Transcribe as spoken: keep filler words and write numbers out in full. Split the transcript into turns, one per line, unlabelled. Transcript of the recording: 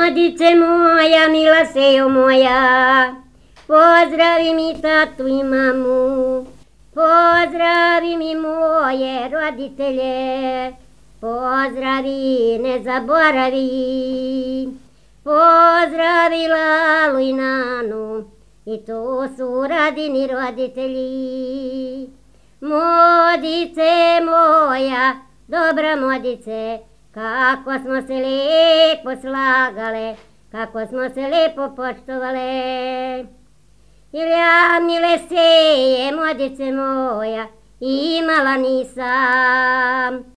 Modice moja, mila sejo moja, pozdravi mi tatu i mamu, pozdravi mi moje roditelje, pozdravi, ne zaboravi, pozdravi Lalu i Nanu, i to su Radini roditelji. Modice moja, dobra Modice, kako smo se lijepo slagale, kako smo se lijepo poštovale. Jer ja, mile seje, Modice moja, imala nisam.